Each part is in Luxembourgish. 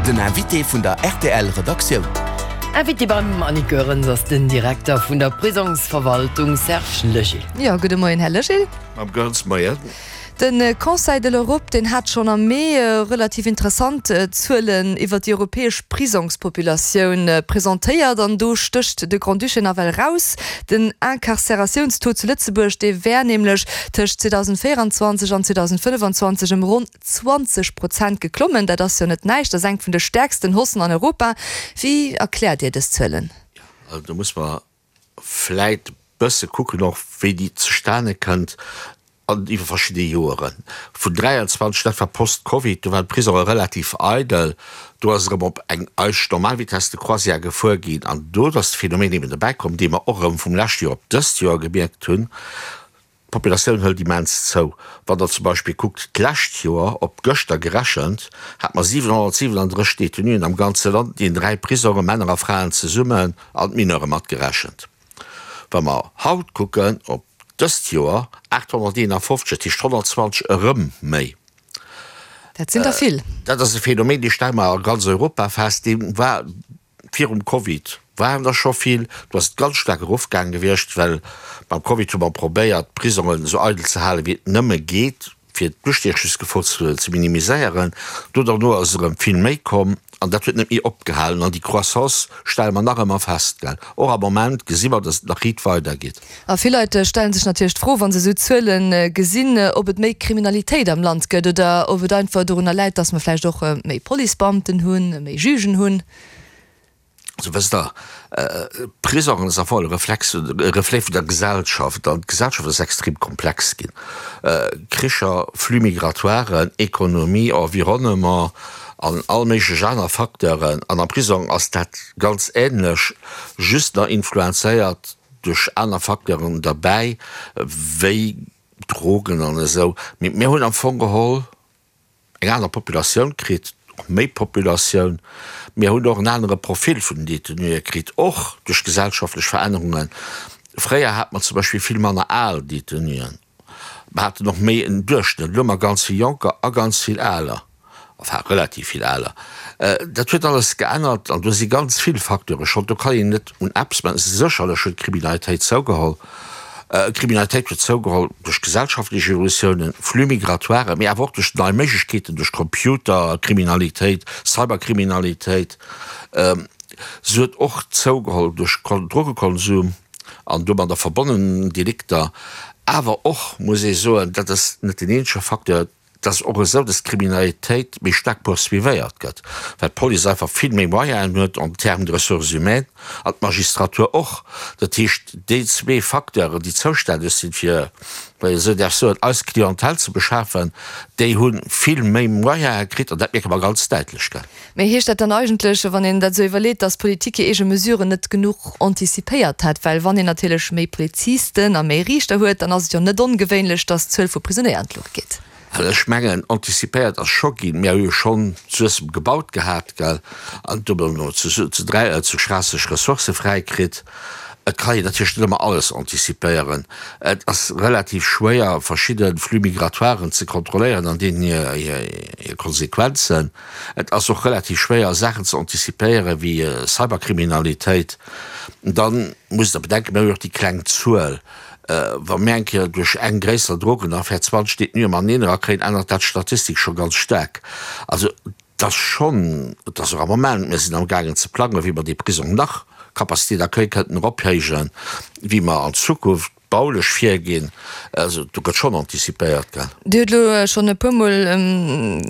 Den Invité vun der rtl Redaktioun. Invité beim Annick Goerens ass den Direkter vun der Prisongsverwaltung Serge Legil. Jo, gudde Moien, Här Legil. Mme Goerens, Moien. De Conseil de l'Europe, deen hat schonn am Mee relativ interessant Zuelen iwwer déi europäesch Prisongspopulatioun presentéiert an do stécht de Grand-Duché nawell raus. Den Incarcératiounstaux zu Lëtzebuerg, dee wär nämlech tëscht 2024 an 2025 ëm ronn 20 Prozent geklommen. Dat ass jo net näischt, dat ass eng vun de stäerksten Haussen an Europa. Wéi erkläert Dir dës Zuelen? Jo, also do muss mer vläit e bësse kucken och, wéi déi zustane kënnt an iwwer verschidde Joeren. Vun 23, dat war post-Covid, do waren d'Prisonge relativ eidel, do ass erëm op eng eischt normal Vitesse de croisière gefuer ginn an do ass de Phänomen eben dobäi komm, dee mer och erëm vum leschte Joer op dëst Joer gemierkt hunn, D'Populatioun hëlt immens zou. Wann Der zum Beispill kuckt, d'lescht Joer, op gëschter gerechent, hate mer 737 Detenuen am ganze Land, déi an 3 Prisongen, Männer a Fraen zesummen, an d'Mineure matgerechent. Wa mer haut kucken, op dëst Joer, 851, dat heescht 120 erëm méi. Dat sinn der vill. Dat ass e Phänomen, dee stelle mer a ganz Europa fest, dee war Virum Covid waren der scho vill, do ass et ganz staark erofgaange gewiescht, well beim Covid hu mer probéiert, d'Prisongen esou eidel ze halen, wéi et nëmme geet, fir d'Ustiechungsgefor ze minimiséieren. Do derno ass erëm vill méi komm an dat huet net méi opgehalen an déi Croissance stelle mer nach ëmmer fest. Gell, och am Moment gesi mer, datt et nach riit weidergeet. A vill Leit stelle sech natierlech d'Fro, wa se esou Zuele gesinn, ob et méi Kriminalitéit am Land gëtt oder ob et einfach dorunner läit, datt mer vläicht och méi Policebeamten hunn, méi Jugen hunn. Also wësst Der, Prisongen ass am Fong e Reflex, e Reflet vun der Gesellschaft an d'Gesellschaft ass extrem komplex ginn. Kricher, Flux migratoiren, Ekonomie, Environnement an all méiglech aner Facteuren. An am Prisong ass dat ganz ähnlech, just nach influenzéiert duerch aner Facteuren derbäi wéi Drogen an esou. Mee mir hunn am Fong geholl eng aner Populatioun kritt, och méi Populatioun. Mir hunn och en anere Profil vun den Détenuë kritt, och duerch gesellschaftlech Verännerungen. Fréier hat mer zum Beispill vill manner al Détenuen. Mer haten och méi en Duerchschnëtt. Elo hu mer ganz vill Jonker a ganz vill Aler, enfin relativ vill Aler. Dat huet alles geännert an do si ganz vill Facteure Schold. Do kann een net un eppes maachen. Sécherlech huet d'Kriminalitéit zougeholl. D'Kriminalitéit huet zougeholl duerch gesellschaftlech Evolutiounen, Flux migratoires, mee awer och duerch nei Méiglechkeeten, duerch Computerkriminalitéit, Cyberkriminalitéit. Se huet och zougeholl duerch Drogekonsum an domadder verbonnen Delikter. Awer och, muss ee soen, dat ass net deen eenzege Facteur, Et ass och esou, dass d'Kriminalitéit méi staark poursuivéiert gëtt, well d'Police einfach vill méi Moyenen huet en termes de ressources humaines an d'Magistratur och. Dat heescht, déi zwee Facteuren, déi zoustänneg sinn, fir, wann een esou däerf soen, eis Clientèle ze beschafen, déi hu vill méi Moyene kritt an dat mierke mer ganz däitlech. Mee heescht dat dann eigentlech, wann een dat esou iwwerleet, dass d'Politik hir eege Mesuren net genuch anticipéiert hätt? Well wann een natierlech méi Polizisten a méi Riichter huet, dann ass et jo net ongewéinlech, dass d'Zuel vu Prisonéier an d'Luucht geet. Also ech mengen, anticipéiert ass scho ginn. Mir hu jo schonn Suessem gebaut gehat, gell, an do hu mer zu 3, zu Schraasseg Ressourcë fräi kritt. Et kann een natierlech net ëmmer alles anticipéieren. Et ass relativ schwéier, verschidde Flux migratoiren ze kontrolléieren an deenen hir Konsequenzen. Et ass och relativ schwéier, Saachen ze anticipéieren, wéi Cyberkriminalitéit. Dann musst Der bedenken, mir hu jo och déi kleng Zuel. Wa mir eng Kéier duerch eng gréisser Drogenaffär 20 Détenue mateneen erakréien, ännert dat d'Statistik scho ganz staark. Also et ass schonn, et ass och am Moment, mir sinn amgaangen ze plangen, wéi mer dee Prisong nach Capacité d'accueil kënnten erophéijen, wéi mer an Zukunft Baulech virginn, also do gëtt schonn anticipéiert, gell. Dir hutt elo schonn e puermol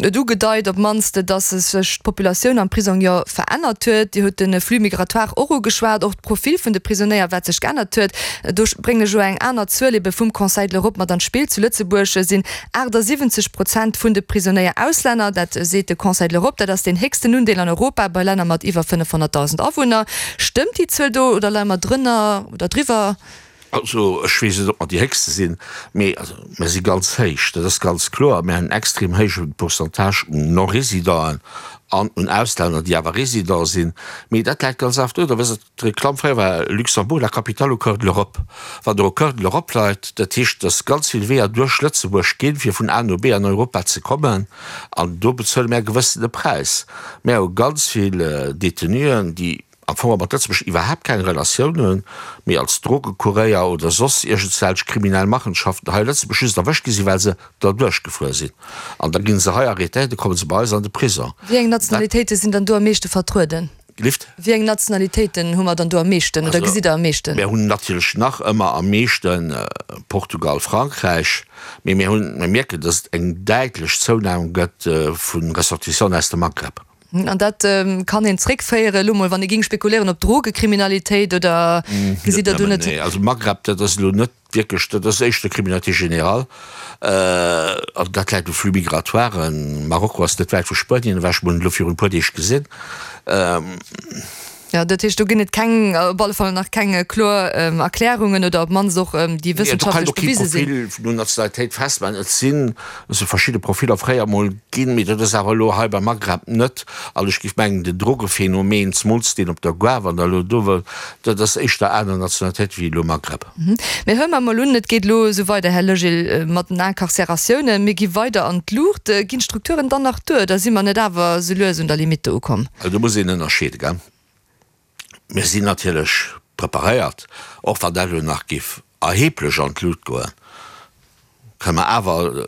et ugedeit, op d'mannst, datt sech d'Populatioun am Prisong jo verännert huet. Dir hutt de Flux migratoire och ugeschwat, och d'Profil vun de Prisonéier, wat sech geännert huet. Do bréngen ech elo eng aner Zuel ebe vum Conseil de l'Europe mat an d'Spill. Zu Lëtzebuerg sinn 78 Prozent vun de Prisonéier Auslänner, dat seet de Conseil de l'Europe. Dat ass deen héchsten Undeel an Europa bei Länner mat iwwer 500.000 Awunner. Stëmmt déi Zuel do oder leie mer drënner oder driwwer? Also, ech weess net, ob mer déi héchste sinn, mee also mer si ganz héich, dat ass ganz kloer. Mir hunn en extrem héije Pourcentage un Non-Résidenten. An un Auslänner, déi awer Résident sinn. Mee dat läit ganz einfach do, da wësst Der, d'Reklamm fréier war Luxembourg, la capitale au cœur de l'Europe. Wann Der au cœur de l'Europe leit, dat heescht, dass ganz vill Weeër duerch Lëtzebuerg ginn, fir vun A no B an Europa ze kommen. An do bezuele mär e gewëssene Präis. Mär hu ganz vill Détenuen, déi am Fong mat Lëtzebuerg iwwerhaapt keng Relatioun hunn, mee als Drogekuréier oder soss iergendswelch kriminell Machenschaften hei a Lëtzebuerg just erwëscht gi sinn, well se derduerch gefuer sinn. An da gi se hei arrêtéiert, da komme se bei eis an de Prisong. Wéi eng Nationalitéite sinn dann do am meeschte vertrueden? Gelift? Wéi eng Nationalitéiten hu mer dann do am meeschten oder gesitt Der am meeschten? Mir hunn natierlech nach ëmmer am meeschte Portugal, Frankräich, mee mir hunn, mir mierken, datt et eng däitlech Zounam gëtt vu Ressortissanten aus dem Maghreb. An dat kann een zréckféieren, elo mol, wann ee géing spekuléieren, op Drogekriminalitéit oder gesitt Der do net? Nee, also Maghreb, dat ass elo net wierklech, dat ass éischter Criminalité générale. An dat läit u Flux migratoiren. Marokko ass net wäit vu Spuenien ewech, mir hunn et elo virun e puer Deeg gesinn. Jo, dat heescht, do ginn et keng, op alle Fall nach keng kloer Erklärungen oder op d'mannst och déi wëssenschaftlech bewise sinn. Nee, do kann een och kee Profil no Nationalitéit festmaachen. Et sinn esou verschidde Profiller fréier emol ginn, mee dat ass awer elo hei beim Maghreb net. An ech géif mengen, den Drogephänomen, zemools deen op der Gare, wann Der elo do wëllt, dat ass éischter aner Nationalitéit wéi elo Maghreb. Mee huele mer emol un, et geet elo esou weider, Här Legil, mat den Incarcératiounen, mir gi weider an d'Luucht. Ginn d'Strukturen dann nach duer oder si mer net awer esou lues un der Limite ukomm? Also do muss een ënnerscheeden, gell. Mir sinn natierlech preparéiert, och wann dat elo nach géif erheblech an d'Lut goen, kënne mer awer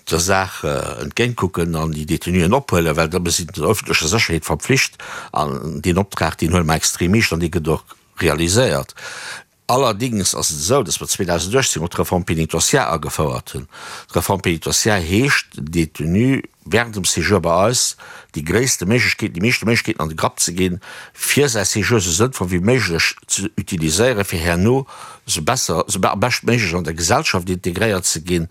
der Saach entgéintkucken an déi Détenuen ophuelen, well da mir sinn der öffentlecher Sécherheet verpflicht an deen Optrag, deen huele mer extrem eescht an dee gëtt och realiséiert. Allerdings ass et esou, dass mer 2018 och d'Réforme pénitentiaire agefouert hunn. D'Réforme pénitentiaire heescht, den Détenu während dem Séjour bei eis déi gréisste Méiglechkeeten, déi meeschte Méiglechkeeten an de Grapp ze ginn, fir säi Séjour esou sënnvoll wéi méiglech ze utiliséieren, fir herno esou besser, esou am beschtméiglech an der Gesellschaft integréiert ze ginn.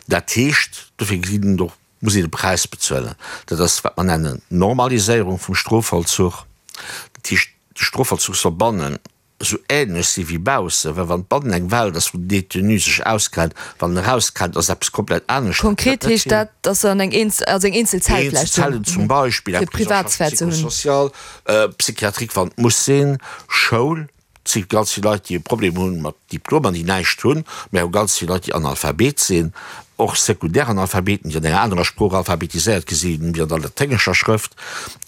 Dat heescht, dofir ginn et och, muss een e Präis bezuelen. Dat ass, wat mer nennen Normaliséierung vum Strofvollzuch. Dat heescht, de Strofvollzuch soll bannen esou ähnlech si wéi baussen, well wann bannen eng Welt ass, wou den Détenu sech auskennt, wann en erauskennt, ass eppes komplett anescht. Konkret heescht dat, dass se an eng eenzel, also eng eenzel Zell vläicht hunn, Eenzel Zellen zum Beispill, eng fir Privatsphär ze hunn. Psychosocial, psychiatrique, wann et muss sinn, Schoul, et si ganz vill Leit, déi e Problem hu mat Diplomer, déi näischt hunn, mä hu ganz vill Leit, déi Analphabet sinn, och Sekundäranalphabeten, déi an enger anerer Sprooch alphabetiséiert gi sinn wéi an der laténgescher Schrëft.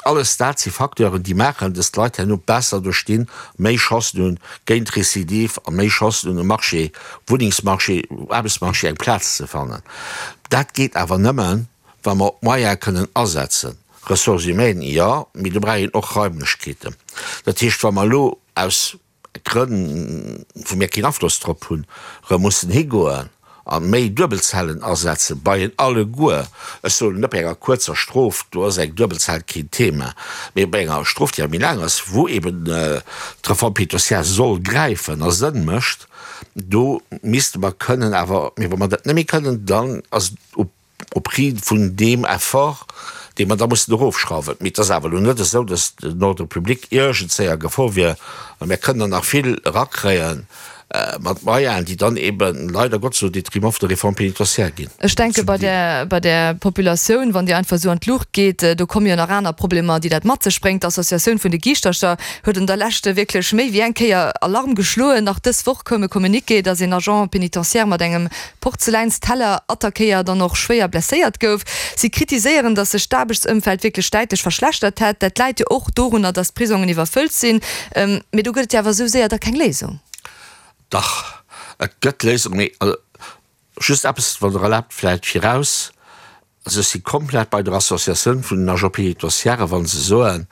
Alles dat si Facteuren, déi maachen, dass d'Leit herno besser do stinn, méi Chancen hunn géint Récidive a méi Chancen hunn um Marché, Wunnengsmarché, Aarbechtsmarché eng Plaz ze fannen. Dat geet awer nëmmen, wa mer Moyene kënnen asetzen. Ressources humaines, jo, mee do brauch een och Raimlechkeeten. Dat heescht, wa mer elo aus Grënn, wou mir keen Afloss drop hunn, erëm mussen higoen a méi Duebelzellen asetzen, bei en alleguer, ech soen net bei enger kuerzer Strof, do ass eng Duebelzell keen Thema, mee bei enger Strof, déi awer méi laang ass, wou eben d'Reforme pénitentiaire soll gräifen a Sënn mécht, do misste mer kënnen awer, mee wa mer dat net méi kënnen, dann ass et op Au prix vun deem Effort, dee mer da mussen erofschrauwen. Mee et ass awer elo net esou, datt den Ordre public iergendzéi a Gefor wier. A mir kënnen der nach vill erakréie mat Moyenen, déi dann eeben leider Gottes au détriment vun der Réforme pénitentiaire ginn. Ech denke bei där, bei där Populatioun, wann déi einfach esou an d'Luucht geet, do komme jo nach aner Problemer, déi dat mat sech bréngt. D'Associatioun vun de Giischtercher huet an der Lescht wierklech méi wéi eng Kéier Alarm geschloen. Nach dës Woch koum e Communiqué, datt een Agent pénitentiaire mat engem Porzeläinsteller attackéiert an och schwéier blesséiert gouf. Si kritiséieren, datt sech d'Aarbechtsëmfeld wierklech däitlech verschlechtert hätt. Dat läit jo och dorunner, datt d'Prisongen iwwerfëllt sinn. Mee do gëtt et jo awer esou séier da keng Léisung. Dach, et gëtt Léisungen, mee just eppes, wann Der erlaabt, vläicht viraus, Also ech si komplett bei der Associatioun vun den Agents pénitentiaires, wa se soen,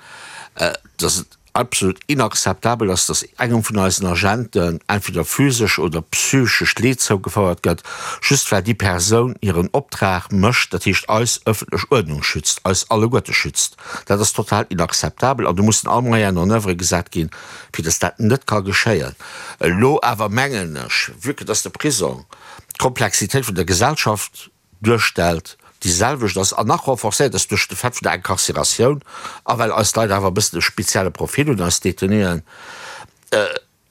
dass et absolut inakzeptabel ass, dass engem vun eisen Agenten entweder physesch oder psychesch Leed zougefouert gëtt, just well déi Persoun hiren Optrag mécht, dat heescht eis ëffentlech Uerdnung schützt, eis alleguerte schützt. Dat ass total inakzeptabel an do mussen all Moyenen en oeuvre gesat ginn, fir dass dat net ka geschéien. Elo awer mengen ech, vue que dass de Prisong d'Komplexitéit vun der Gesellschaft duerstellt, déi selwecht ass an nach renforcéiert ass duerch de Fait vun der Incarcératioun a well eis Leit awer e bëssen e spezielle Profil hunn, eis Détenuen,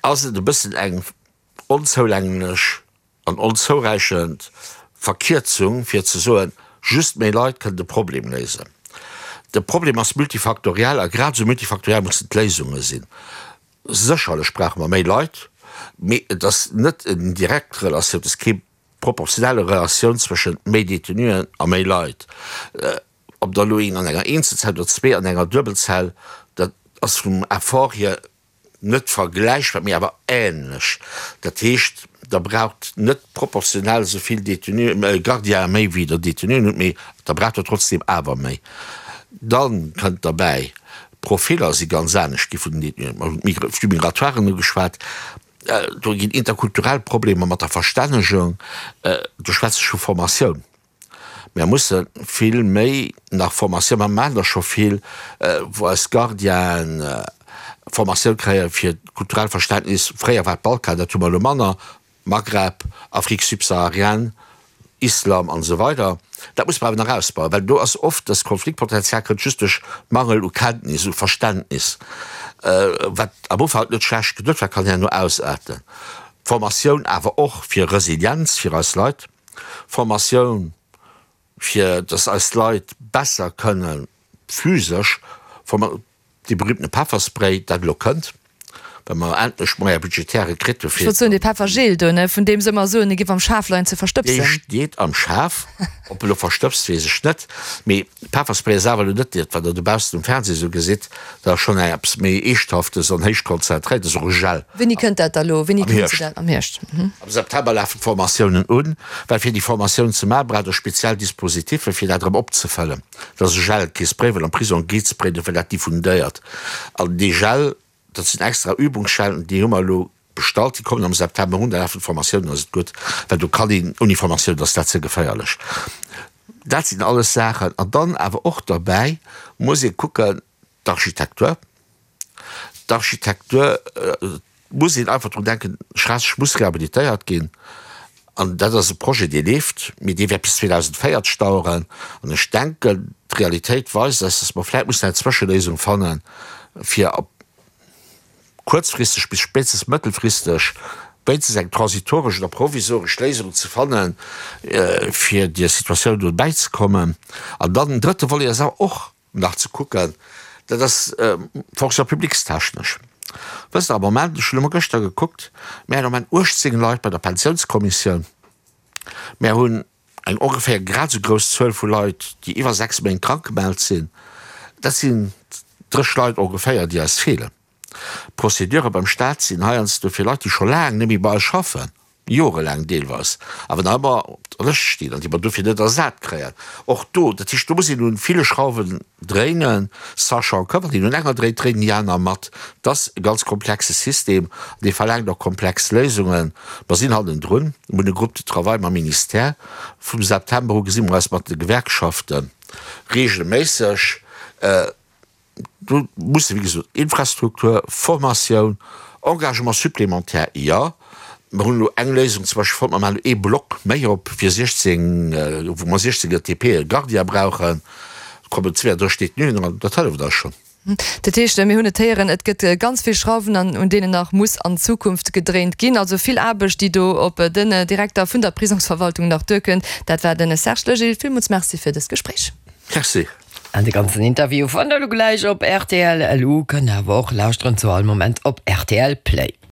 ass et e bëssen eng onzoulänglech an onzouräichend Verkierzung fir ze soen, just méi Leit kënnen de Problem léisen. De Problem ass multifaktoriell a grad esou multifaktoriell mussen d'Léisunge sinn. Sécherlech brauche mer méi Leit, mee et ass net eng direkt Relatioun, et ass kee proportionelle Relatioun zwëschent méi Détenuen a méi Leit. Ob der elo een an enger Eenzelzell oder zwee an enger Duebelzell, dat ass vum Effort hier net vergläichbar, mee awer ähnlech. Dat heescht, Der braucht net proportionell esou vill Détenuen, Gardiene méi wéi Der Détenuen hutt, mee Der braucht der trotzdem awer méi. Da kënnt derbäi, d'Profiller si ganz anescht gi vun den Détenuen. Mer hunn d'Flux migratoiren ugeschwat. Do ginn interkulturell Problemer mat der Verstännegung. Do schwätze ech vu Formatioun. Mär musse vill méi nach Formatioun, mer maachen der scho vill, wou eis Gardienen Formatioun kréie fir d'kulturellt Verständnis. Fréier war et Balkan, dat hu mer elo manner, Maghreb, Afrique subsaharienne, Islam an esou weider. Dat muss mer awer nach ausbauen, well do ass oft das Konfliktpotenzial kënnt just duerch Mangel u Kenntnis, u Verständnis, wat am Ufank net schlecht geduet war, kann herno ausaarten. Formatioun awer och fir Resilienz fir eis Leit. Formatioun, fir dass eis Leit besser kënne physesch, dee berühmtene Pefferspray, dat elo kënnt, well mer endlech d'Moyens budgétaires kritt hu fir. Ech wollt soen, dee Peffergel do, ne, vun deem se ëmmer soen, e giff am Schaf leien ze verstëbsen. Dee steet am Schaf. Ob e lo verstëbst, weess ech net. Mee Pefferspray ass awer elo net dat, wat Der dobaussen um Fernseh esou gesitt. Dat ass schonn eppes méi Eeschthaftes an héich konzentréiert. Dat ass och e Gel. Wéini kënnt dat da lo? Wéini kritt se dat? Am Hierscht. Am September lafen d'Formatiounen un, well fir déi Formatioun ze maachen, braucht Der speziell Dispositiffe fir dat erëm opzefëllen. Dat ass e Gel, kee Spray, well am Prisong geet Spray net, well dat diffundéiert. An dee Gel, dat sinn extra Übungsgelen, déi hu mer elo bestallt, déi kommen am September un, da lafen d'Formatiounen, ass et gutt, well do kann een ouni Formatioun ass dat ze geféierlech. Dat sinn alles Saachen. An dann awer och derbäi muss ee kucken, d'Architektur. D'Architektur, et muss een einfach drun denken, Schraasseg muss rehabilitéiert ginn. An dat ass e Projet, dee leeft, mee dee wäert bis 2040 daueren. An ech denken, d'Realitéit weist eis, dass mer vläicht mussen eng Zwëscheléisung fannen, fir op kuerzfristeg bis spéitstens mëttelfristeg wéinstens eng transitoresch oder provisoresch Léisung ze fannen, fir der Situatioun do bäizekommen. An dann en drëtte Volet ass awer och nach ze kucken, dat ass Fonction publiques-technesch. Wësst Der, am Moment, ech hunn elo mol gëschter gekuckt, mir hunn am Moment 18 Leit bei der Pensiounskommissioun, mir hunn eng ongeféier grad esou grouss Zuel vu Leit, déi iwwer 6 Méint krank gemellt sinn. Dat sinn 30 Leit ongeféier, déi eis feelen. D'Procédure beim Staat sinn heiansdo fir Leit, déi scho laang net méi bei eis schaffen, jorelaang deelweis, awer nach ëmmer op der Lëscht stinn an déi mer dofir net ersat kréien. Och do, dat heescht, do muss een un ville Schrauwen dréinen, sachant que, wann een un enger dréit, dréinen déi aner mat. Et ass e ganz komplexe System an dee verlaangt och komplex Léisungen. Mer sinn hannendrun, mir hunn e Groupe de travail mam Ministère. Vum September u gesi mer eis mat de Gewerkschafte regelméisseg. Do musse wéi gesot Infrastruktur, Formatioun, Engagement supplémentaire, jo. Mer hunn elo eng Léisung zum Beispill fonnt, mer maachen elo ee Block méi op fir 16, wou mer 16 ETPe Gardien brauchen, kommen 32 Détenuen eran, dat hëlleft eis schonn. Dat heescht, mir hunn et héieren, et gëtt ganz vill Schrauwen, an un deenen nach muss an Zukunft gedréint ginn. Also vill Aarbecht, déi do op den Direkter vun der Prisongsverwaltung nach duerkënnt. Dat war de Serge Legil. Villmools Merci fir dëst Gespréich. Merci. An de ganzen Interview fannt der elo gläich op rtl LU, kënnt awer och lauschteren zu all Moment op rtl Play.